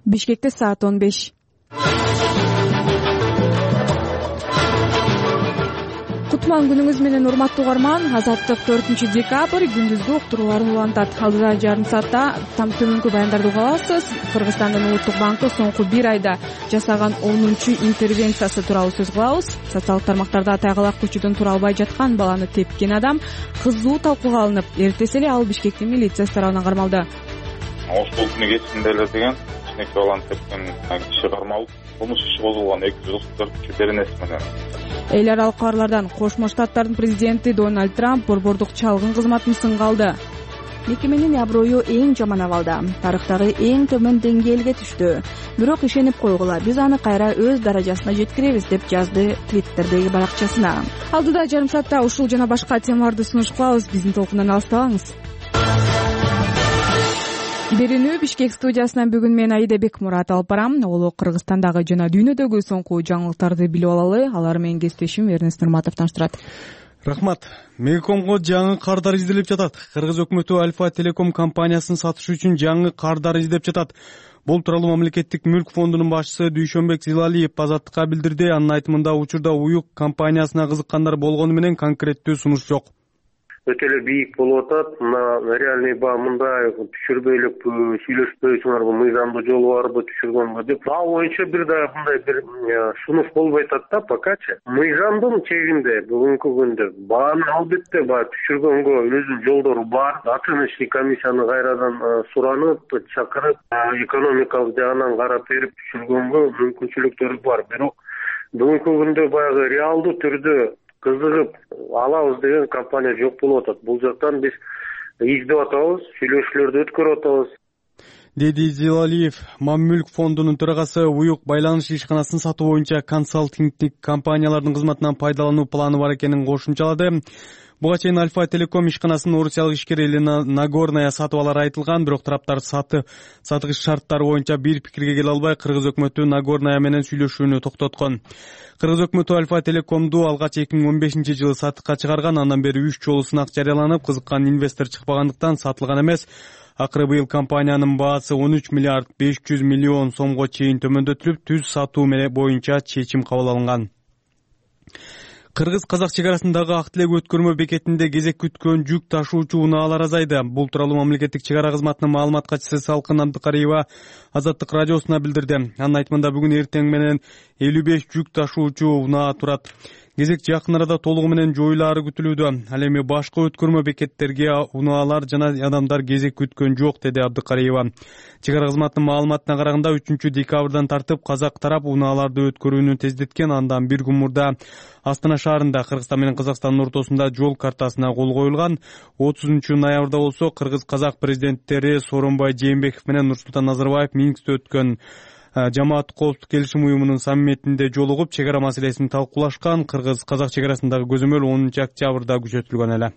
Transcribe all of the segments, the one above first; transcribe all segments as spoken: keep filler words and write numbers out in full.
Бишкекте саат он беш. Кутман күнүңүз менен урматтуу угарман. Азаттык төртүнчү декабрь күндүзгү уктурууларын улантат. Алдыда жарым саатта там төмөнкү баяндарды уга аласыз. Кыргызстандын Улуттук банкы соңку бир айда жасаган онунчу интервенциясы тууралуу сөз кылабыз. Социалдык тармактарда тайгалак көчөдөн тура албай жаткан баланы тепкен адам кызуу талкууга алынып, эртеси эле ал Бишкектин милициясы тарабынан кармалды. Ошол күнү кечинде эле деген кичинекей баланы тепкен киши кармалып, кылмыш иши козголгон эки жүз отуз төртүнчү беренеси менен. Эл аралык кабарлардан Кошмо Штаттардын президенти Дональд Трамп борбордук чалгын кызматын сынга алды. Мекеменин аброю эң жаман абалда, тарыхтагы эң төмөн деңгээлге түштү. Бирок ишенип койгула, биз аны кайра өз даражасына жеткиребиз, деп жазды Твиттердеги баракчасына. Алдыда жарым саатта ушул жана башка темаларды сунуш кылабыз. Биздин толкундан алыстабаңыз. Берүүнү Бишкек студиясынан бүгүн мен Аида Бекмурат алып барам. Ол Кыргызстандагы жана дүйнөдөгү соңку жаңылыктарды билип алалы. Алар менен кесиптешим Эрнест Нурматов таныштырат. Рахмат. Мегакомго жаңы кардар изделип жатат. Кыргыз өкмөтү Альфа Телеком компаниясын сатыш үчүн жаңы кардар издеп жатат. Бул тууралуу мамлекеттик мүлк фондунун башчысы Дүйшөнбек Зилалиев Азаттыкка билдирди. Анын айтымында учурда Уюк компаниясына кызыккандар болгону менен конкреттүү сунуш жок. Өтө эле бийик болуп атат. Мына реальный баа мындай түшүрбөй эле сүйлөшпөйсүңөрбү, мыйзамдуу жолу барбы түшүргөнгө деп. Баа боюнча бир да мындай бир сунуш болбой атат да покачы. Мыйзамдын чегинде бүгүнкү күндө бааны албетте баа түшүргөнгө өзүнүн жолдору бар. Оценочный комиссияны кайрадан суранып, чакырып, экономикалык жагынан карап берип түшүргөнгө мүмкүнчүлүктөрү бар. Бирок бүгүнкү күндө баягы реалдуу түрдө кызыгып алабыз деген компания жок болуп атат. Бул жактан биз издеп атабыз, сүйлөшүүлөрдү өткөрүп атабыз, деди Зилалиев. Маммүлк фондунун төрагасы Уюк байланыш ишканасын сатуу боюнча консалтингтик компаниялардын кызматынан пайдалануу планы бар экенин кошумчалады. Буга чейин Альфа Телеком ишканасын орусиялык ишкер Елена Нагорная сатып алары айтылган, бирок тараптар саты сатыгыч шарттары боюнча бир пикирге келе албай, Кыргыз өкмөтү Нагорная менен сүйлөшүүнү токтоткон. Кыргыз өкмөтү Альфа Телекомду алгач эки миң он бешинчи жылы сатыкка чыгарган, андан бери үч жолу сынак жарыяланып, кызыккан инвестор чыкпагандыктан сатылган эмес. Акыры быйыл компаниянын баасы он үч миллиард беш жүз миллион сомго чейин төмөндөтүлүп, түз сатуу боюнча чечим кабыл алынган. Кыргыз-казак чегарасындагы Ак Тилек өткөрмө бекетинде кезек күткөн жүк ташуучу унаалар азайды. Бул тууралуу мамлекеттик чегара кызматынын маалымат катчысы Салкын Абдыкариева Азаттык радиосуна билдирди. Анын айтымында бүгүн эртең менен элүү беш жүк ташуучу унаа турат. Кезек жакын арада толугу менен жоюлаары күтүлүүдө. Ал эми башка өткөрмө бекеттерге унаалар жана адамдар кезек күткөн жок, деди Абдыкариева. Чегара кызматынын маалыматына караганда үчүнчү декабрдан тартып казак тарап унааларды өткөрүүнү тездеткен. Андан бир күн мурда Астана шаарында Кыргызстан менен Казакстандын ортосунда жол картасына кол коюлган. отузунчу ноябрда болсо Кыргыз-казак президенттери Сооронбай Жээнбеков менен Нурсултан Назарбаев Минскте өткөн Жамааттык коопсуздук келишим уюмунун саммитинде жолугуп чегара маселесин талкуулашкан. Кыргыз-казак чегарасындагы көзөмөл онунчу октябрда күчөтүлгөн эле.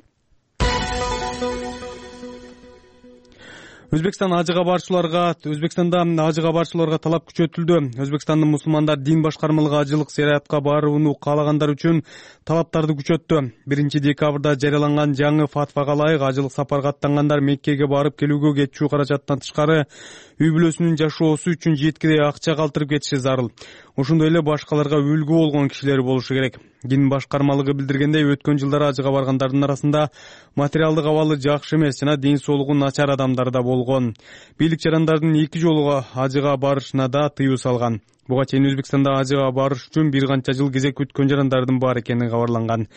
Өзбекстан ажыга барчыларга Өзбекстанда ажыга барчыларга талап күчөтүлдү. Өзбекстандын мусулмандар дин башкармалыгы ажылык зияратка барууну каалагандар үчүн талаптарды күчөттү. биринчи декабрда жарыяланган жаңы фатвага ылайык ажылык сапарга аттангандар Меккеге барып келүүгө кетчү каражаттан тышкары үй бүлөсүнүн жашоосу үчүн жеткидей акча калтырып кетиши зарыл. Ошондой эле башкаларга үлгү болгон кишилер болушу керек. Дин башкармалыгы билдиргендей, өткөн жылдары ажыга баргандардын арасында материалдык абалы жакшы эмес жана ден соолугу начар адамдар да болгон. Бийлик жарандардын эки жолу ажыга барышына да тыюу салган. Буга чейин Өзбекстанда ажыга барыш үчүн бир канча жыл кезек күткөн жарандардын бар экени кабарланган.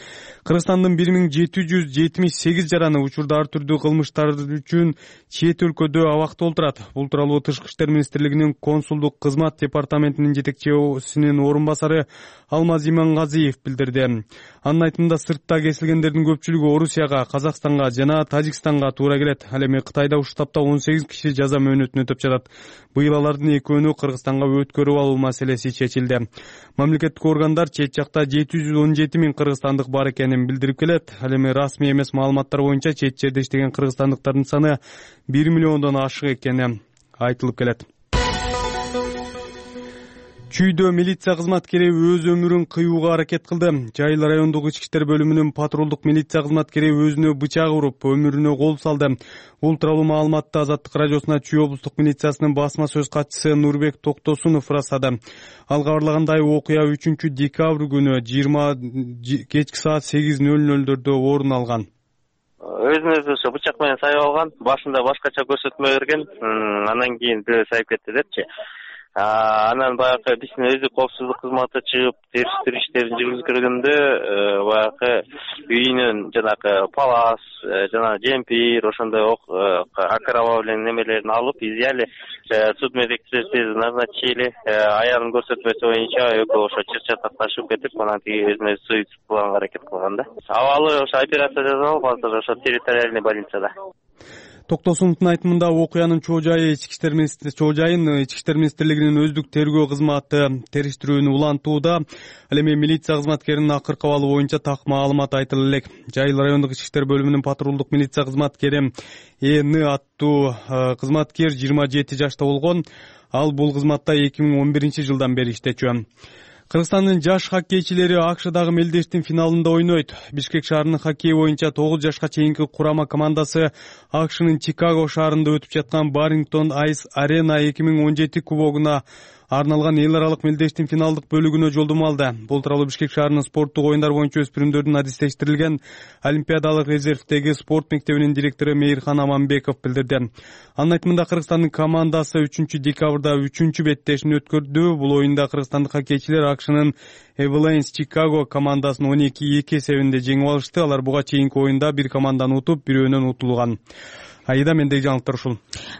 Кыргызстандын бир миң жети жүз жетимиш сегиз жараны учурда ар түрдүү кылмыштар үчүн чет өлкөдө абакта отурат. Бул тууралуу Тышкы иштер министрлигинин консулдук кызмат департаментинин жетекчисинин орун басары Алмаз Имангазиев билдирди. Анын айтымында сыртта кесилгендердин көпчүлүгү Орусияга, Казакстанга жана Тажикстанга туура келет. Ал эми Кытайда уш таапта он сегиз киши жаза мөөнөтүн өтөп жатат. Быйыл алардын экөөнү Кыргызстанга өткөрүп алуу маселеси чечилди. Мамлекеттик органдар чет жакта жети жүз он жети миң кыргызстандык бар экенин билдирип келет. Ал эми расмий эмес маалыматтар боюнча чет жерде иштеген кыргызстандыктардын саны бир миллиондон ашык экени айтылып келет. Чүйдө милиция кызматкери өз өмүрүн кыюуга аракет кылды. Жайыл райондук ички иштер бөлүмүнүн патрулдук милиция кызматкери өзүнө бычак уруп, өмүрүнө кол салды. Бул тууралуу маалыматты Азаттык радиосуна Чүй облустук милициясынын басма сөз катчысы Нурбек Токтосунов ырастады. Ал кабарлагандай, окуя үчүнчү декабрь күнү жыйырма кечки саат сегиз ноль нольдөрдө орун алган. Өзүн өзү ошо бычак менен сайып алган, башында башкача көрсөтмө берген, анан кийин бирөө сайып кетти депчи. Анан баягы биздин өздүк коопсуздук кызматы чыгып териштирүү иштерин жүргүзгөнгөндө баягы үйүнөн жанагы палас жана жемпир ошондой окровавленный немелерин алып изъяли, судмедэкспертиза назначили. Аянын көрсөтмөсү боюнча экөө ошо чыр-чатакташып кетип, анан тиги өзүн өзү суицид кылганга аракет кылган да. Абалы ошо операция жасалып, азыр ошо территориальный больницада. Токтосуновдун айтымында окуянын чоо жайы ички иштер министрлиги чоо жайын ички иштер министрлигинин өздүк тергөө кызматы териштирүүнү улантууда. Ал эми милиция кызматкеринин акыркы абалы боюнча так маалымат айтыла элек. Жайыл райондук ички иштер бөлүмүнүн патрулдук милиция кызматкери Эни аттуу кызматкер жыйырма жети жашта болгон. Ал бул кызматта эки миң он биринчи жылдан бери иштечү. Кыргызстандын жаш хоккейчилери АКШдагы мелдештин финалында ойнойт. Бишкек шаарынын хоккей боюнча тогуз жашка чейинки курама командасы АКШнын Чикаго шаарында өтүп жаткан Баррингтон Айс Арена эки миң он жети кубогуна арналган эл аралык мелдештин финалдык бөлүгүнө жолдомо алды. Бул тууралуу Бишкек шаарынын спорттук оюндар боюнча өспүрүмдөрдүн адистештирилген Олимпиадалык резервдеги спорт мектебинин директору Мейирхан Аманбеков билдирди. Анын айтымында, Кыргызстандын командасы үчүнчү декабрда үчүнчү беттешин өткөрдү. Бул оюнда кыргызстандык хоккейчилер АКШнын Эвелейнс Чикаго командасын он эки эки эсебинде жеңип алышты. Алар буга чейинки оюнда бир команданы утуп, бирөөнөн утулган. Айда, мендеги жаңылыктар ушул.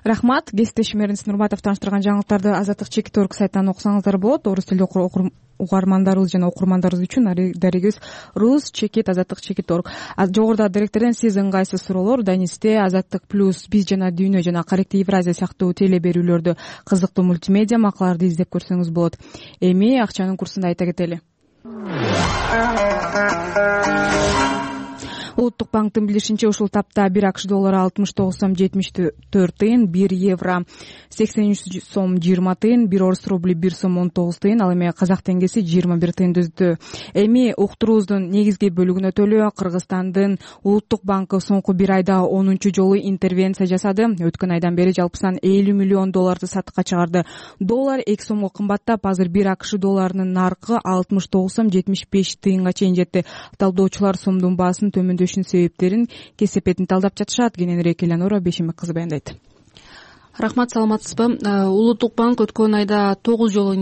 Рахмат. Кесиптешим Эрнис Нурматов таныштырган жаңылыктарды Азаттык чекит орг сайтынан окусаңыздар болот. Орус тилдүү угармандарыбыз жана окурмандарыбыз үчүн дарегибиз рус чекит азаттык чекит орг. Жогоруда директордон сиз ыңгайсыз суроолор Данисте Азаттык плюс, Биз жана Дүйнө жана Каректи Евразия сыяктуу теле берүүлөрдү, кызыктуу мультимедиа макалаларды издеп көрсөңүз болот. Эми акчанын курсун айта кетели. Улуттук банктын билдиришинче, ушул тапта бир АКШ доллары алтымыш тогуз сом жетимиш төрт тыйын, бир евро сексен үч сом жыйырма тыйын, бир орус рубли бир сом он тогуз тыйын, ал эми казак теңгеси жыйырма бир тыйын түздү. Эми уктуруубуздун негизги бөлүгүнө төлөө Кыргызстандын Улуттук банкы соңку бир айда онунчу жолу интервенция жасады. Өткөн айдан бери жалпысынан элүү миллион долларды сатыкка чыгарды. Доллар эки сомго кымбаттап, азыр бир АКШ долларынын наркы алтымыш тогуз сом жетимиш беш тыйынга чейин жетти. Талдоочулар сомдун баасын төмөндөшүнүн себептерин, кесепетин талдап жатышат. Кененирээк Элеонора Бешимек кызы баяндайт. Рахмат, саламатсызбы? Улуттук банк өткөн айда тогуз жолу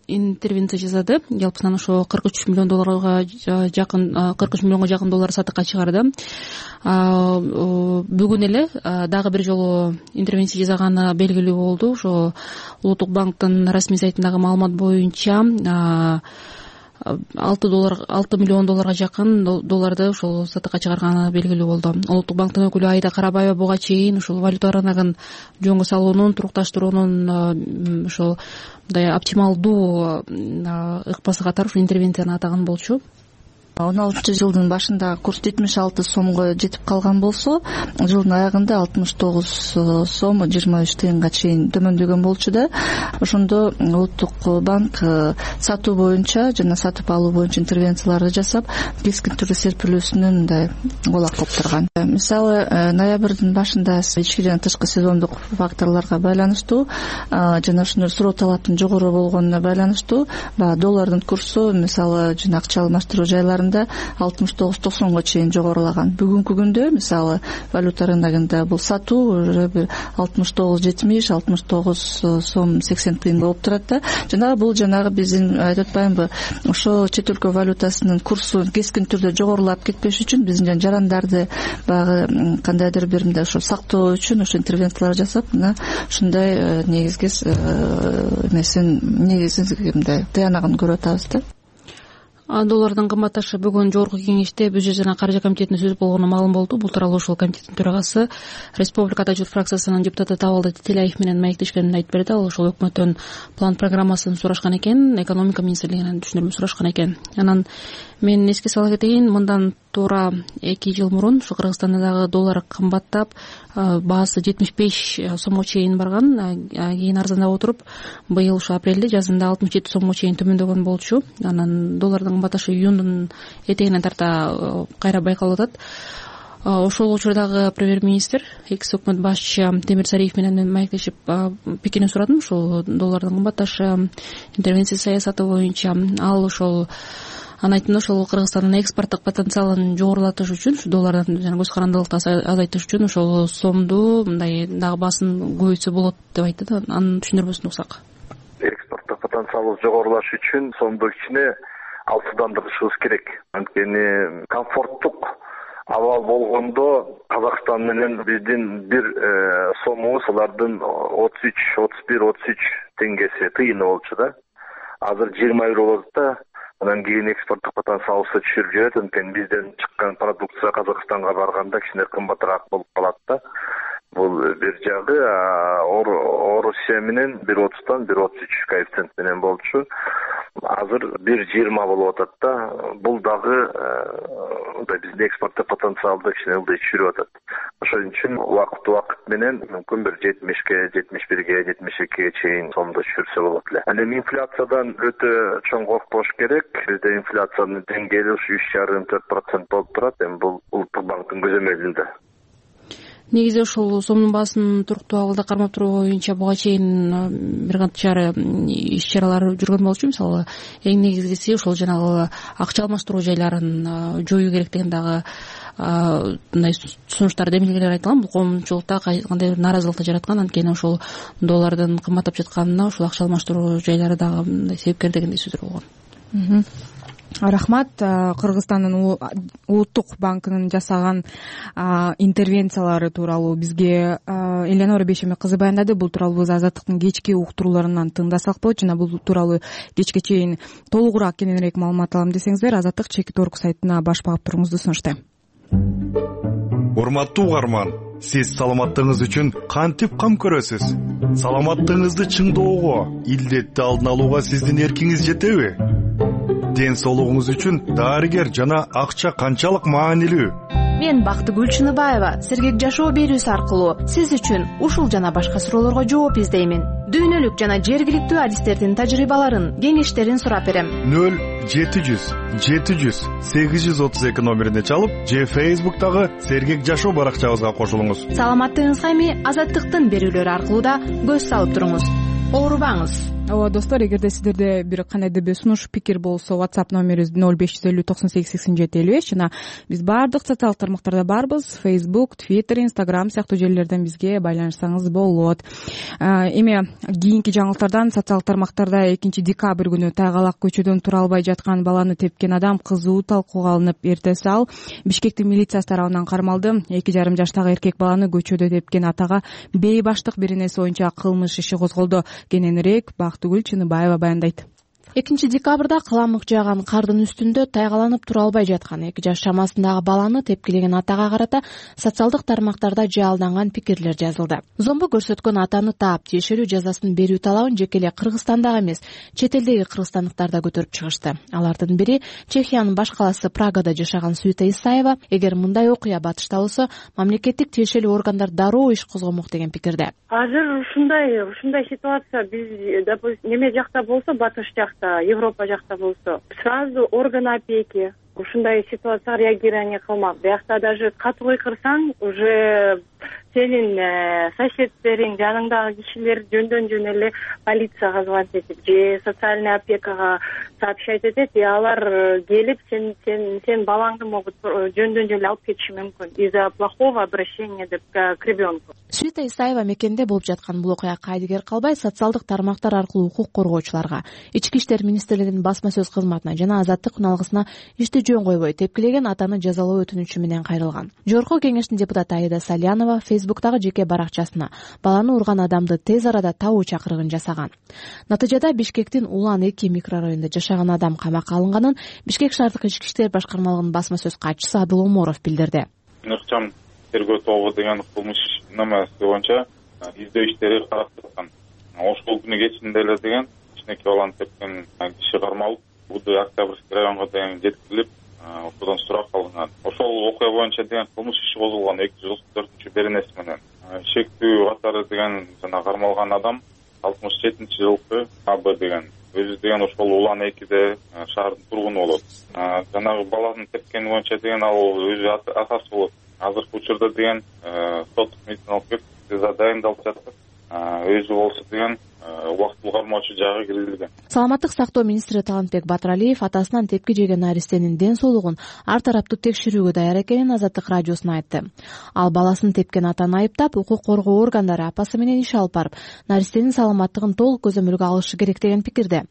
интервенция жасады. Жалпысынан ошо кырк үч миллион долларга жакын, кырк үч миллионго жакын доллар сатыкка чыгарды. Бүгүн эле дагы бир жолу интервенция жасаганы белгилүү болду. Ошо Улуттук банктын расмий сайтындагы маалымат боюнча алты доллар алты миллион долларга жакын долларды ушул сатыкка чыгарганы белгилүү болду. Улуттук банктын өкүлү Айда Карабаева буга чейин ушул валюта рыногун жөнгө салуунун, турукташтыруунун ушул мындай оптималдуу ыкпасы катары ушул интервенцияны атаган болчу. он алтынчы жылдын башында курс жетимиш алты сомго жетип калган болсо, жылдын аягында алтымыш тогуз сом жыйырма үч тыйынга чейин төмөндөгөн болчу да. Ошондо Улуттук банк сатуу боюнча жана сатып алуу боюнча интервенцияларды жасап, кескин түрдө серпилүүсүнө мындай колак болуп турган. Мисалы, ноябрдын башында ички жана тышкы сезондук факторлорго байланыштуу жана ошондой суроо талаптын жогору болгонуна байланыштуу доллардын курсу, мисалы, жана акча алмаштыруу жайлары алтымыш тогуз токсонго чейин жогорулаган. Бүгүнкү күндө мисалы валюта рыногунда бул сатуу алтымыш тогуз жетимиш, алтымыш тогуз сом сексен тыйын болуп турат да. Жана бул жанагы биздин айтып атпаймынбы, ошо чет өлкө валютасынын курсу кескин түрдө жогорулап кетпеш үчүн биздин жарандарды багы кандайдыр бир мындай ошо сактоо үчүн ошо интервенциялар жасап, мына ушундай негизги эмесин негизги мындай тыянагын көрүп атабыз да. Доллардын кымбатташы бүгүн жогорку кеңеште бюджет жана каржы комитетине сөз болгону маалым болду. Бул тууралуу ошол комитеттин төрагасы Республикада журт фракциясынын депутаты Табалды Тетелаев менен маектешкенин айтып берди. Ал ошол өкмөттөн план программасын сурашкан экен, экономика министрлигинен түшүндүрмө сурашкан экен. Анан мен эске сала кетейин, мындан туура эки жыл мурун ушу Кыргызстанда дагы доллар кымбаттап, баасы жетимиш беш сомго чейин барган, кийин арзандап отуруп быйыл ушу апрелде жазында алтымыш жети сомго чейин төмөндөгөн болчу. Анан доллардын кымбатташы июндун этегине тарта кайра байкалып атат. Ошол учурдагы премьер-министр, экс өкмөт башчы Темир Сариев менен маектешип пикирин сурадым ушул доллардын кымбатташы, интервенция саясаты боюнча. Ал ошол анын айтымында ошол Кыргызстандын экспорттук потенциалын жогорулатыш үчүн, ушу доллардан жана көз карандылыкты азайтыш үчүн ошол сомду мындай дагы баасын көбөйтсө болот деп айтты. Анын түшүндүрмөсүн уксак. Экспорттук потенциалы жогорулаш үчүн сомду кичине алсыздандырышыбыз керек. Анткени комфорттук абал болгондо Казакстан менен биздин бир сомубуз алардын отуз үч, отуз бир, отуз үч теңгеси тыйыны болчу да. Азыр жыйырма бир болот да. Анан кийин экспорттук потенциалыбызды түшүрүп жиберет. Анткени бизден чыккан продукция Казакстанга барганда кичине кымбатыраак болуп калат да. Бул бир жагы. Орусия менен бир отуздан бир отуз үч коэффициент менен болчу. Азыр бир жыйырма болуп атат да. Бул дагы биздин экспорттук потенциалды кичине ылдый түшүрүп атат. Ошон үчүн убакыт убакыт менен мүмкүн бир жетимишке, жетимиш бирге, жетимиш экиге чейин сомду түшүрсө болот эле. Анан инфляциядан өтө чоң коркпош керек. Бизде инфляциянын деңгээли ушу үч жарым төрт процент болуп турат. Эми бул Улуттук банктын көзөмөлүндө. Негизи ошол сомдун баасын туруктуу абалда кармап туруу боюнча буга чейин бир канча иш чаралар жүргөн болчу. Мисалы, эң негизгиси ошол жанагы акча алмаштыруу жайларын жоюу керектигин дагы мындай сунуштар, демилгелер айтылган. Бул коомчулукта кандайдыр нааразылыкты жараткан. Анткени ошол доллардын кымбаттап жатканына ошол акча алмаштыруу жайлары дагы мындай себепкер дегендей сөздөр болгон. Рахмат. Кыргызстандын Улуттук банкынын жасаган интервенциялары тууралуу бизге Элеонора Бейшембек кызы баяндады. Бул тууралуу биз Азаттыктын кечки уктурууларынан тыңдасак болот. Жана бул тууралуу кечке чейин толугураак, кененирээк маалымат алам десеңиздер, Азаттык чекит орг сайтына баш багып туруңузду сунуштайм. Урматтуу угарман, сиз саламаттыгыңыз үчүн кантип кам көрөсүз? Саламаттыгыңызды чыңдоого, илдетти алдын алууга сиздин эркиңиз жетеби? Ден соолугуңуз үчүн дарыгер жана акча канчалык маанилүү? Мен Бактыгүл Чыныбаева сергек жашоо берүүсү аркылуу сиз үчүн ушул жана башка суроолорго жооп издеймин. Дүйнөлүк жана жергиликтүү адистердин тажрыйбаларын, кеңештерин сурап берем. нөл жети жүз жети жүз сегиз жүз отуз эки номерине чалып, же Facebook'тагы сергек жашоо баракчабызга кошулуңуз. Саламаттыгыңызга эми Азаттыктын берүүлөрү аркылуу да көз салып туруңуз. Оорубаңыз. Ооба достор, эгерде сиздерде бир кандайдыр бир сунуш, пикир болсо, WhatsApp номерибиз нөл беш жүз элүү токсон сегиз сексен жети элүү беш жана биз баардык социалдык тармактарда барбыз. Facebook, Twitter, Instagram сыяктуу желилерден бизге байланышсаңыз болот. Эми кийинки жаңылыктардан социалдык тармактарда экинчи декабрь күнү Тайгалак көчөдөн тура албай жаткан баланы тепкен адам кызуу талкууга алынып, эртеси ал Бишкектин милициясы тарабынан кармалды. эки жарым жаштагы эркек баланы көчөдө тепкен атага бейбаштык беренеси боюнча кылмыш иши козголду. Кененирээк Бактыгүл Чыныбаева баяндайт. экинчи декабрда кыламык жааган кардын үстүндө тайгаланып тура албай жаткан эки жаш чамасындагы баланы тепкилеген атага карата социалдык тармактарда жаалданган пикирлер жазылды. Зомбу көрсөткөн атаны таап, тиешелүү жазасын берүү талабын жеке эле Кыргызстандагы эмес, чет элдеги кыргызстандыктар да көтөрүп чыгышты. Алардын бири Чехиянын баш калаасы Прагада жашаган Суйта Исаева, эгер мындай окуя батышта болсо, мамлекеттик тиешелүү органдар дароо иш козгомок деген пикирде. Азыр ушундай ушундай ситуация биз допустим неме жакта болсо, батыш жакта, Европа жакта болсо, сразу орган опеки ушундай ситуацияга реагирование кылмак. Биякта даже катуу кыйкырсаң, уже сенин соседтериң, жаныңдагы кишилер жөндөн жөн эле полицияга звонить этип же социальный опекага сообщать этет, и алар келип сен сен сен балаңды могут жөндөн жөн эле алып кетиши мүмкүн из-за плохого обращения деп к ребенку. Суйта Исаева мекенде болуп жаткан бул окуя кайдыгер калбай социалдык тармактар аркылуу укук коргоочуларга, Ички иштер министрлигинин басма сөз кызматына жана Азаттык үналгысына ишти жөн койбой тепкилеген атаны жазалоо өтүнүчү менен кайрылган. Жогорку кеңештин депутаты Аида Салянова Facebook'тагы жеке баракчасына баланы урган адамды тез арада табуу чакырыгын жасаган. Натыйжада Бишкектин Улан эки микрорайонунда жашаган адам камакка алынганын Бишкек шаардык ички иштер башкармалыгынын басма сөз катчысы Адыл Оморов билдирди. Ыкчам тергөө тобу деген кылмыш намасы боюнча издөө иштери карап жаткан. Ошол күнү кечинде эле деген кичинекей баланы тепкен киши кармалып, Октябрьский районго деген жеткирилип, укудан сурап алынган. Ошол окуя боюнча деген кылмыш иши козулган эки жүз отуз төртүнчү беренеси менен. Шектүү катары деген жана кармалган адам алтымыш жетинчи жылкы А Б деген өзү деген ошол Улан экиде шаардын тургуну болот. Жанагы баланын тепкени боюнча деген ал өзү атасы болот. Азыркы учурда деген соттук медициналык экспертиза дайындалып жатат. Өзү болсо деген убактылуу кармоочу жагы киргизилген. Саламаттык сактоо министри Талантбек Батыралиев атасынан тепки жеген наристенин ден соолугун ар тараптуу текшерүүгө даяр экенин Азаттык радиосуна айтты. Ал баласын тепкен атаны айыптап, укук коргоо органдары апасы менен иш алып барып, наристенин саламаттыгын толук көзөмөлгө алышы керек деген пикирде.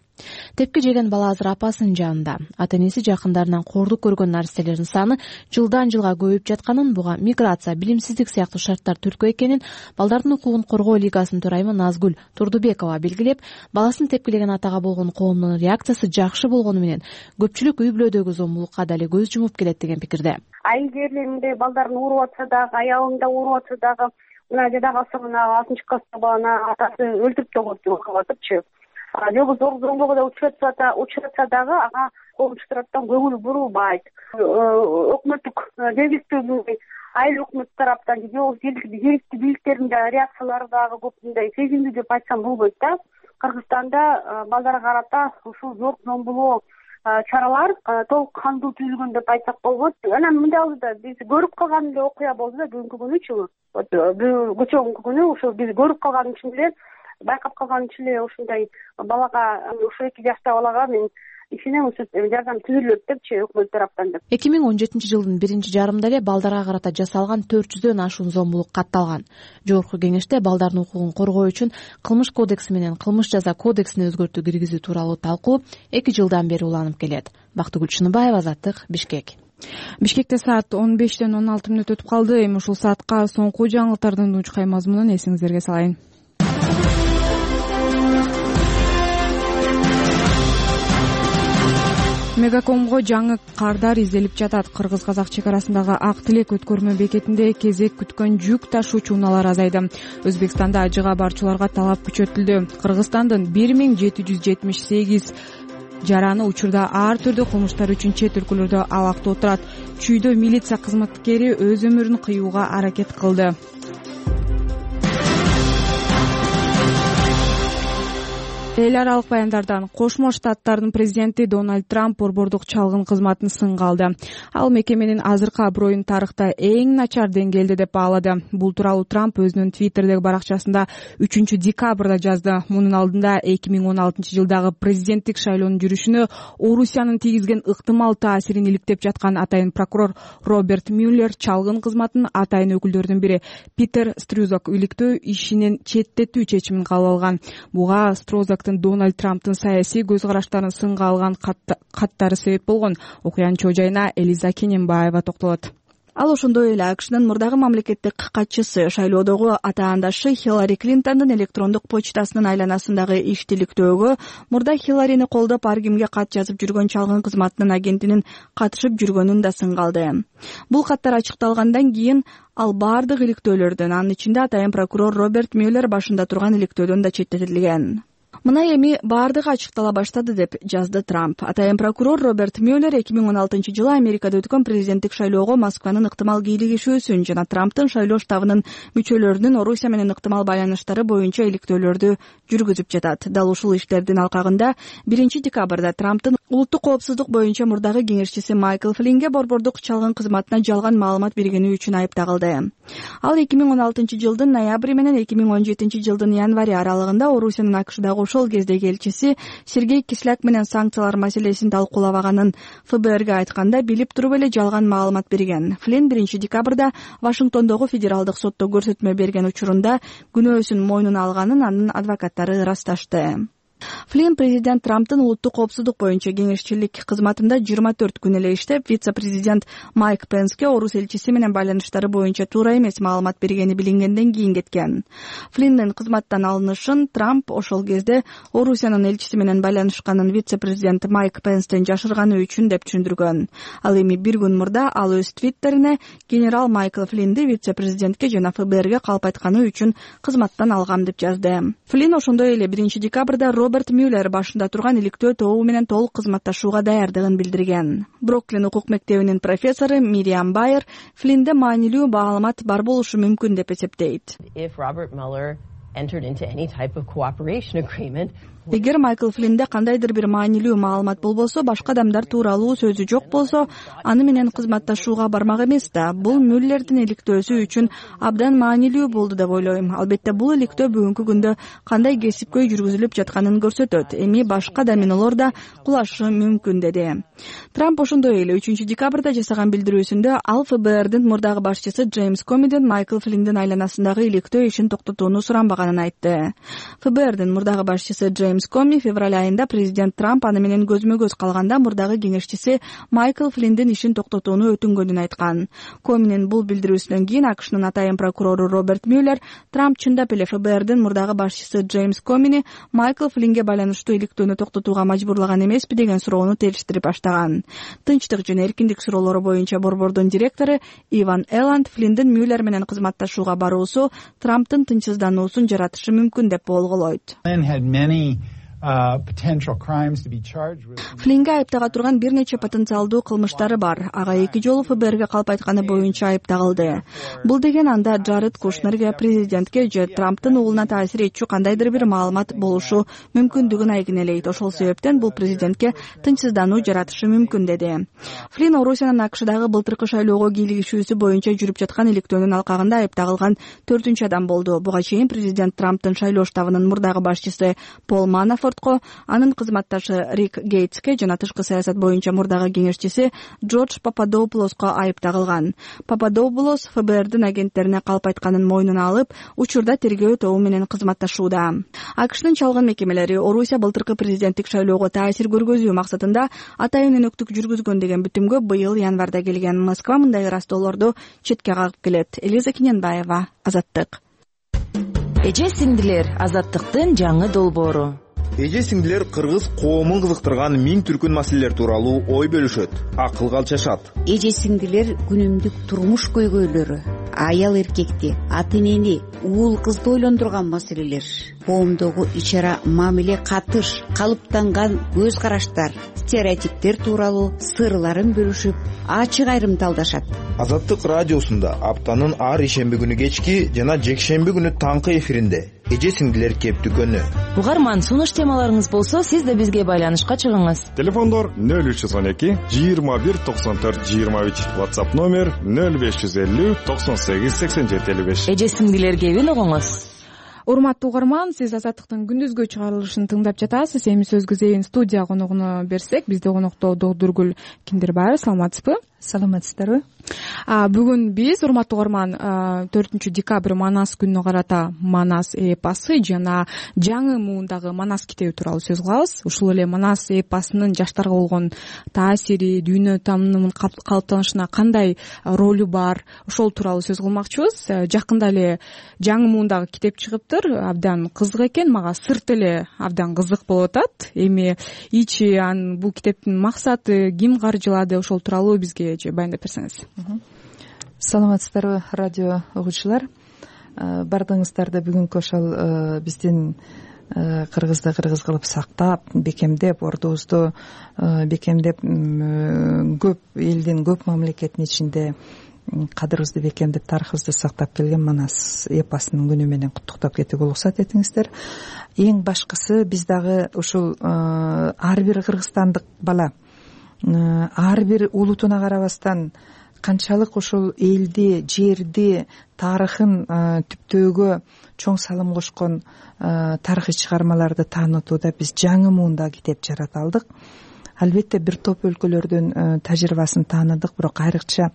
Тепки жеген бала азыр апасынын жанында. Ата-энеси жакындарынан кордук көргөн наристелердин саны жылдан жылга көбөйүп жатканын, буга миграция, билимсиздик сыяктуу шарттар түрткү экенин балдардын укугун коргоо лигасынын төрайымы Назгүл Турдубекова белгилеп, баласын тепкилеген атага болгон коомдун реакциясы жакшы болгону менен көпчүлүк үй бүлөдөгү зомбулукка дали көз жумуп келет деген пикирде. Айылдерде мындай балдарын уруп атса дагы, аялында уруп атса дагы, мына жадагасы мына алтынчы класстагы баланы атасы өлтүрүп да коюп атыпчы. Жогу зор зомбулукка да учуратса учуратса дагы ага коомчу тараптан көңүл бурулбайт. Өкмөттүк жергиликтүү айыл өкмөт тараптан жергиликтүү бийликтердин да реакциялары дагы көп мындай сезимдүү деп айтсам болбойт да. Кыргызстанда балдарга карата ушул зор зомбулоо чаралар толук кандуу түзүлгөн деп айтсак болбойт. Анан мындай болду да биз көрүп калган эле окуя болду да бүгүнкү күнүчү. Көчөгүнкү күнү ошол биз көрүп калган үчүн эле байкап калган үчүн эле ушундай балага, ушул эки жаштагы балага мен ишенем ушул жардам түзүлөт депчи өкмөт тараптан деп. эки миң он жетинчи жылдын биринчи жарымында эле балдарга карата жасалган төрт жүздөн ашуун зомбулук катталган. Жогорку кеңеште балдардын укугун коргоо үчүн кылмыш кодекси менен кылмыш жаза кодексине өзгөртүү киргизүү тууралуу талкуу эки жылдан бери уланып келет. Бактыгүл Чыныбаева, Азаттык, Бишкек. Бишкекте саат он бештен он алты мүнөт өтүп калды. Эми ушул саатка соңку жаңылыктардын учкай мазмунун эсиңиздерге салайын. Мегакомго жаңы кардар изделип жатат. Кыргыз-казак чек арасындагы Ак Тилек өткөрмө бекетинде кезек күткөн жүк ташуучу унаалар азайды. Өзбекстанда ажыга барчуларга талап күчөтүлдү. Кыргызстандын бир миң жети жүз жетимиш сегиз жараны учурда ар түрдүү кылмыштар үчүн чет өлкөлөрдө абакта отурат. Чүйдө милиция кызматкери өз өмүрүн кыюуга аракет кылды. Эл аралык баяндардан Кошмо Штаттардын президенти Дональд Трамп борбордук чалгын кызматын сынга алды. Ал мекеменин азыркы аброюн тарыхта эң начар деңгээлде деп баалады. Бул тууралуу Трамп өзүнүн Твиттердеги баракчасында үчүнчү декабрда жазды. Мунун алдында эки миң он алтынчы жылдагы президенттик шайлоонун жүрүшүнө Орусиянын тийгизген ыктымал таасирин иликтеп жаткан атайын прокурор Роберт Мюллер чалгын кызматын атайын өкүлдөрдүн бири Питер Струзак иликтөө ишинен четтетүү чечимин кабыл алган. Буга Струзак Дональд Трамптын саясий көз караштарын сынга алган каттары себеп болгон. Окуянын чоо жайына Элиза Кененбаева токтолот. Ал ошондой эле АКШнын мурдагы мамлекеттик катчысы, шайлоодогу атаандашы Хиллари Клинтондун электрондук почтасынын айланасындагы иштиликтөөгө мурда Хилларини колдоп ар кимге кат жазып жүргөн чалгын кызматынын агентинин катышып жүргөнүн да сынга алды. Бул каттар ачыкталгандан кийин ал бардык иликтөөлөрдөн, анын ичинде атайын прокурор Роберт Мюллер башында турган иликтөөдөн да четтетилген. Мына эми бардыгы ачыктала баштады деп жазды Трамп. Атайын прокурор Роберт Мюллер эки миң он алтынчы жылы Америкада өткөн президенттик шайлоого Москванын ыктымал кийлигишүүсүн жана Трамптын шайлоо штабынын мүчөлөрүнүн Орусия менен ыктымал байланыштары боюнча иликтөөлөрдү жүргүзүп жатат. Дал ушул иштердин алкагында биринчи декабрда Трамптын улуттук коопсуздук боюнча мурдагы кеңешчиси Майкл Флинге борбордук чалгын кызматына жалган маалымат бергени үчүн айыпталды. Ал эки миң он алтынчы жылдын ноябры менен эки миң он жетинчи жылдын январь аралыгында Орусиянын АКШдагы ошол кездеги элчиси Сергей Кисляк менен санкциялар маселесин талкуулабаганын эф бэ эрге айтканда билип туруп эле жалган маалымат берген. Флинн биринчи декабрда Вашингтондогу федералдык сотто көрсөтмө берген учурунда күнөөсүн мойнуна алганын анын адвокаттары ырасташты. Флинн президент Трамптын улуттук коопсуздук боюнча кеңешчилик кызматында жыйырма төрт күн эле иштеп, вице-президент Майк Пенске орус элчиси менен байланыштары боюнча туура эмес маалымат бергени билингенден кийин кеткен. Флинндин кызматтан алынышын Трамп ошол кезде Орусиянын элчиси менен байланышканын вице-президент Майк Пенстен жашырганы үчүн деп түшүндүргөн. Ал эми бир күн мурда ал өз твиттерине генерал Майкл Флиннди вице-президентке жана эф бэ эрге калп айтканы үчүн кызматтан алгам деп жазды. Флинн ошондой эле биринчи декабрда Роберт Мюллер башында турган иликтөө тобу менен толук кызматташууга даярдыгын билдирген. Бруклин укук мектебинин профессору Мириам Байер Флинде маанилүү маалымат бар болушу мүмкүн деп эсептейт. Эгер Майкл Флинде кандайдыр бир маанилүү маалымат болбосо, башка адамдар тууралуу сөзү жок болсо, аны менен кызматташууга бармак эмес да. Бул Мюллердин иликтөөсү үчүн абдан маанилүү болду деп ойлойм. Албетте бул иликтөө бүгүнкү күндө кандай кесипкөй жүргүзүлүп жатканын көрсөтөт. Эми башка доминолор да кулашы мүмкүн деди. Трамп ошондой эле үчүнчү декабрда жасаган билдирүүсүндө ал эф бэ эрдин мурдагы башчысы Джеймс Комиден Майкл Флиндин айланасындагы иликтөө ишин токтотууну суранбаганын айтты. эф бэ эрдин мурдагы башчысы Джеймс Коми февраль айында президент Трамп аны менен көзмө-көз калганда мурдагы кеңешчиси Майкл Флиндин ишин токтотууну өтүнгөнүн айткан. Коминин бул билдирүүсүнөн кийин АКШнын атайын прокурору Роберт Мюллер Трамп чындап эле эф бэ эрдин мурдагы башчысы Джеймс Комини Майкл Флинге байланыштуу иликтөөнү токтотууга мажбурлаган эмеспи деген суроону териштирип баштаган. Тынчтык жана эркиндик суроолору боюнча борбордун директору Иван Элланд Флиндин Мюллер менен кызматташууга баруусу Трамптын тынчсыздануусун жаратышы мүмкүн деп болголойт. Флинге айыптага турган бир нече потенциалдуу кылмыштары бар. Ага эки жолу эф бэ эрге калп айтканы боюнча айыпталды. Бул деген анда Джаред Кушнерге, президентке же Трамптын уулуна таасир этчү кандайдыр бир маалымат болушу мүмкүндүгүн айгинелейт. Ошол себептен бул президентке тынчсыздануу жаратышы мүмкүн деди. Флин Орусиянын АКШдагы былтыркы шайлоого кийлигишүүсү боюнча жүрүп жаткан иликтөөнүн алкагында айыпталган төртүнчү адам болду. Буга чейин президент Трамптын шайлоо штабынын мурдагы башчысы Пол Манафорт, анын кызматташы Рик Гейтске жана тышкы саясат боюнча мурдагы кеңешчиси Джордж Пападоупулоско айып тагылган. Пападоупулос эф бэ эрдин агенттерине калп айтканын мойнуна алып, учурда тергөө тобу менен кызматташууда. АКШнын чалгын мекемелери Орусия былтыркы президенттик шайлоого таасир көргөзүү максатында атайын өнөктүк жүргүзгөн деген бүтүмгө быйыл январда келген. Москва мындай ыраазоолорду четке кагып келет. Элиза Киненбаева, Азаттык. Эже сиңдилер, Азаттыктын жаңы долбоору. Эже сиңдилер кыргыз коомун кызыктырган миң түркүн маселелер тууралуу ой бөлүшөт, акылга алчашат. Эже сиңдилер күнүмдүк турмуш көйгөйлөрү, аял эркекти, ата энени, уул кызды ойлондурган маселелер, коомдогу ичара мамиле катыш, калыптанган көз караштар, стереотиптер тууралуу сырларын бөлүшүп, ачык айрымталдашат. Азаттык радиосунда аптанын ар ишемби күнү кечки жана жекшемби күнү таңкы эфиринде эже сиңдилер кептүкөнү. Угарман, сунуш темаларыңыз болсо, сиз да бизге байланышка чыгыңыз. Телефондор нөл үч жүз он эки жыйырма бир токсон төрт жыйырма үч, WhatsApp номер нөл беш жүз элүү токсон сегиз сексен жети элүү беш. Эже сиңдилер кебин угуңуз. Урматтуу угарман, сиз Азаттыктын күндүзгү чыгарылышын тыңдап жатасыз. Эми сөзгө зейин студия коногуна берсек, бизде конокто Догдургүл Киндербаева. Саламатсызбы? Саламатсыздарбы? Бүгүн биз, урматтуу угарман, төртүнчү декабрь Манас күнүнө карата Манас эпосы жана жаңы муундагы Манас китеби тууралуу сөз кылабыз. Ушул эле Манас эпосунун жаштарга болгон таасири, дүйнө таанымынын калыптанышына кандай ролу бар, ошол тууралуу сөз кылмакчыбыз. Жакында эле жаңы муундагы китеп чыгыптыр. Абдан кызык экен, мага сырт эле абдан кызык болуп атат. Эми ичи ан бул китептин максаты, ким каржылады, ошол тууралуу бизге баяндап берсеңиз. Саламатсыздарбы, радио угуучулар. Бардыгыңыздарды бүгүнкү ошол биздин кыргызды кыргыз кылып сактап, бекемдеп, ордубузду бекемдеп, көп элдин көп мамлекеттин ичинде кадырыбызды бекемдеп, тарыхыбызды сактап келген Манас эпосунун күнү менен куттуктап кетүүгө уруксат этиңиздер. Эң башкысы, биз дагы ушул ар бир кыргызстандык бала ар бир улутуна карабастан канчалык ушул элди, жерди, тарыхын түптөөгө чоң салым кошкон тарыхый чыгармаларды таанытууда биз жаңы муунда китеп жарата алдык. Албетте бир топ өлкөлөрдүн тажрыйбасын тааныдык, бирок айрыкча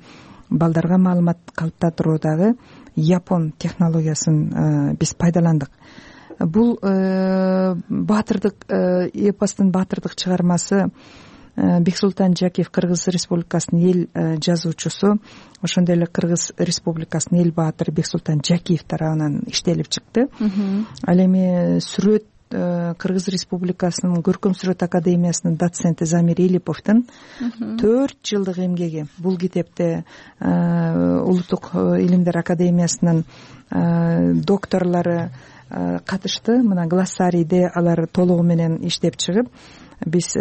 балдарга маалымат калыптандыруудагы Япон технологиясын биз пайдаландык. Бул баатырдык эпостун баатырдык чыгармасы Бексултан Жакиев, Кыргыз Республикасынын эл жазуучусу, ошондой эле Кыргыз Республикасынын эл баатыры Бексултан Жакиев тарабынан иштелип чыкты. Ал эми сүрөт Кыргыз Республикасынын Көркөм сүрөт академиясынын доценти Замир Илиповдун төрт жылдык эмгеги. Бул китепте Улуттук илимдер академиясынын докторлору, катышты. Мына глоссарийде алар толугу менен иштеп чыгып, биз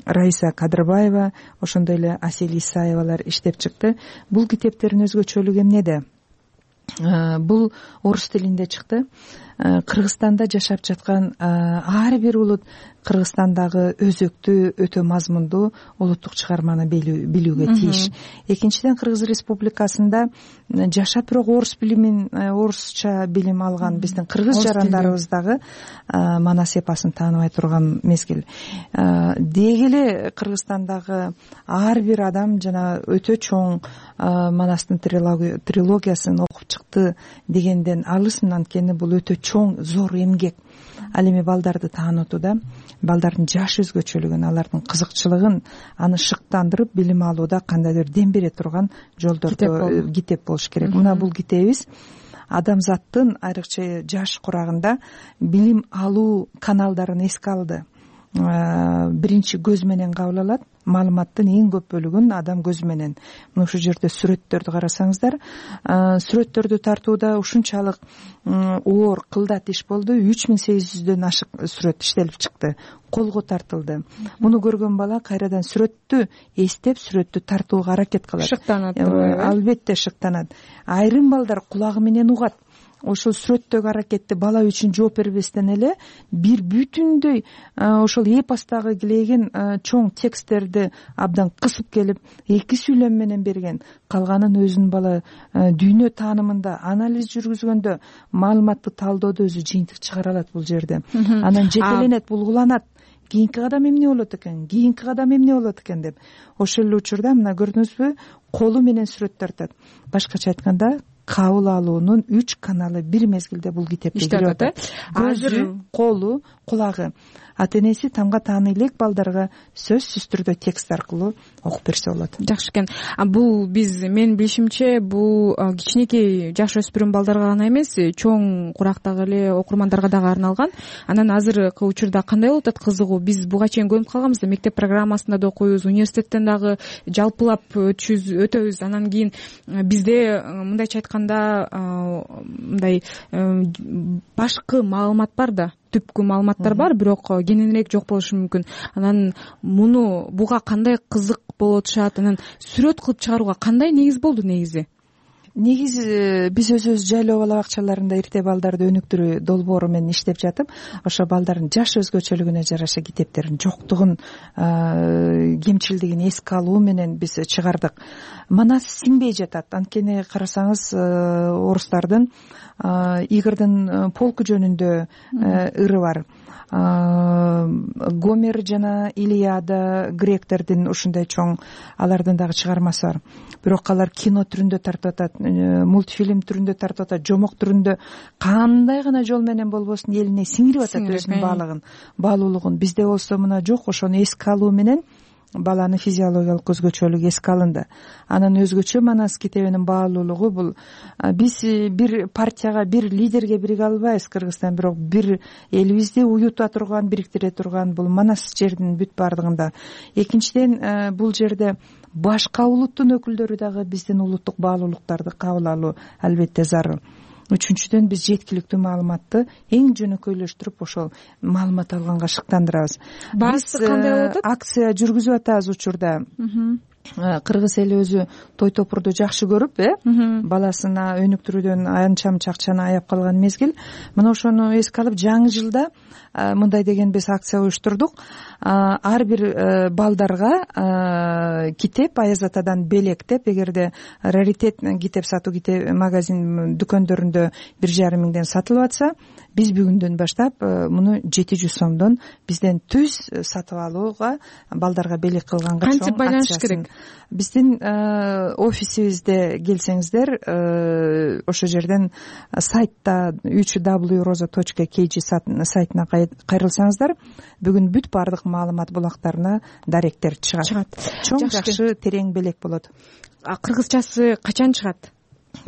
Раиса Кадырбаева, ошондой эле Асель Исаевалар иштеп чыкты. Бул китептердин өзгөчөлүгү эмнеде? Бул орус тилинде чыкты. Кыргызстанда жашап жаткан ар бир улут Кыргызстандагы өзөктүү, өтө мазмундуу улуттук чыгарманы билүүгө тийиш. Экинчиден, Кыргыз Республикасында жашап бирок орус билимин, орусча билим алган биздин кыргыз жарандарыбыз дагы Манас эпосун тааныбай турган мезгил. Деги эле Кыргызстандагы ар бир адам жана өтө чоң Манастын трилогиясын окуп чыкты дегенден алысмын, анткени бул өтө чоң, зор эмгек. Ал эми балдарды таанытууда, балдардын жаш өзгөчөлүгүн, алардын кызыкчылыгын, аны шыктандырып билим алууда кандайдыр дем бере турган жолдорду китеп болуш керек. Мына бул китебибиз адамзаттын айрыкча жаш курагында билим алуу каналдарын эске алды. Биринчи көз менен кабыл алат, маалыматтын эң көп бөлүгүн адам көзү менен. Мына ушул жерде сүрөттөрдү карасаңыздар, сүрөттөрдү тартууда ушунчалык оор, кылдат иш болду. үч миң сегиз жүздөн ашык сүрөт иштелип чыкты, колго тартылды. Муну көргөн бала кайрадан сүрөттү эстеп, сүрөттү тартууга аракет кылат. Шыктанат. Албетте шыктанат. Айрым балдар кулагы менен угат. Ошол сүрөттөгү аракетти бала үчүн жооп бербестен эле бир бүтүндөй ошол эпостогу килеген чоң тексттерди абдан кысып келип, эки сүйлөм менен берген. Калганын өзүнүн бала дүйнө таанымында анализ жүргүзгөндө, маалыматты талдоодо өзү жыйынтык чыгара алат бул жерде. Анан жетеленет, булгуланат. Кийинки кадам эмне болот экен, кийинки кадам эмне болот экен деп. Ошол эле учурда мына көрдүңүзбү, колу менен сүрөт тартат. Башкача айтканда, кабыл алуунун үч каналы бир мезгилде бул китепте кирип атат. Көзү, колу, кулагы. Ата-энеси тамга тааны элек балдарга сөзсүз түрдө текст аркылуу окуп берсе болот. Жакшы экен. Бул биз, менин билишимче, бул кичинекей жаш өспүрүм балдарга гана эмес, чоң курактагы эле окурмандарга дагы арналган. Анан азыркы учурда кандай болуп атат кызыгуу? Биз буга чейин көрүп калганбыз да, мектеп программасында да окуйбуз, университеттен дагы жалпылап өтөбүз. Анан кийин бизде мындайча айтканда мындай башкы маалымат бар да, түпкү маалыматтар бар, бирок кененирээк жок болушу мүмкүн. Анан муну буга кандай кызык болуп атышат? Анан сүрөт кылып чыгарууга кандай негиз болду негизи? Негизи биз өзүбүз жайлоо бала бакчаларында ирте балдарды өнүктүрүү долбоору менен иштеп жатып, ошо балдардын жаш өзгөчөлүгүнө жараша китептердин жоктугун, кемчилдигин эске алуу менен биз чыгардык. Манас сиңбей жатат. Анткени карасаңыз, орустардын Игордун полку жөнүндө ыры бар. Гомер жана Илиада, гректердин ушундай чоң, алардын дагы чыгармасы бар. Бирок алар кино түрүндө тартып атат, мультфильм түрүндө тартып атат, жомок түрүндө кандай гана жол менен болбосун элине сиңирип атат өзүнүн баалыгын, баалуулугун. Бизде болсо мына жок, ошону эске алуу менен баланын физиологиялык өзгөчөлүгү эске алынды. Анан өзгөчө Манас китебинин баалуулугу бул, биз бир партияга, бир лидерге бириге албайбыз Кыргызстан, бирок бир элибизди уюта турган, бириктире турган бул Манас жердин бүт бардыгында. Экинчиден, бул жерде башка улуттун өкүлдөрү дагы биздин улуттук баалуулуктарды кабыл алуу албетте зарыл. Үчүнчүдөн, биз жеткиликтүү маалыматты эң жөнөкөйлөштүрүп ошол маалымат алганга шыктандырабыз. Биз кандай болуп атат? Акция жүргүзүп атабыз учурда. Кыргыз эли өзү той топурду жакшы көрүп, э, баласына өнүктүрүүдөн анча мынча акчаны аяп калган мезгил. Мына ошону эске алып, жаңы жылда мындай деген биз акция уюштурдук. Ар бир балдарга китеп Аяз Атадан белек деп, эгерде раритет китеп сатуу китеп магазин дүкөндөрүндө бир жарым миңден сатылып атса, биз бүгүндөн баштап муну жети жүз сомдон бизден түз сатып алууга, балдарга белек кылганга чоң кантип байланыш керек? Биздин офисибизде келсеңиздер, ошол жерден сайтта үч дабл ю роза точка кей жи сайтына кайрылсаңыздар, бүгүн бүт баардык маалымат булактарына даректер чыгат. Чоң жакшы терең белек болот. Кыргызчасы качан чыгат?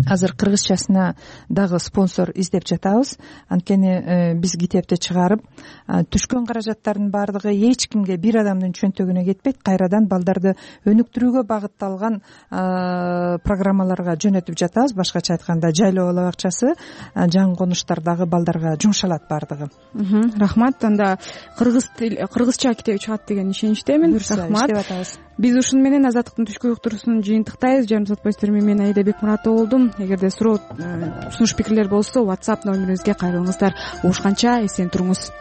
азыр кыргызчасына дагы спонсор издеп жатабыз. Анткени биз китепти чыгарып түшкөн каражаттардын баардыгы эч кимге, бир адамдын чөнтөгүнө кетпейт, кайрадан балдарды өнүктүрүүгө багытталган программаларга жөнөтүп жатабыз. Башкача айтканда жайлоо бала бакчасы, жаңы конуштардагы балдарга жумшалат баардыгы. Рахмат. Анда кыргыз кыргызча китеби чыгат деген ишеничтемин. Рахмат. Иштеп атабыз. Биз ушуну менен Азаттыктын түшкү уктуруусун жыйынтыктайбыз. Жарым саат боюнча мен Аида Бекмуратова болдум. Эгерде суроо, сунуш пикирлер болсо WhatsApp номерибизге кайрылыңыздар. Угушканча эсен туруңуз.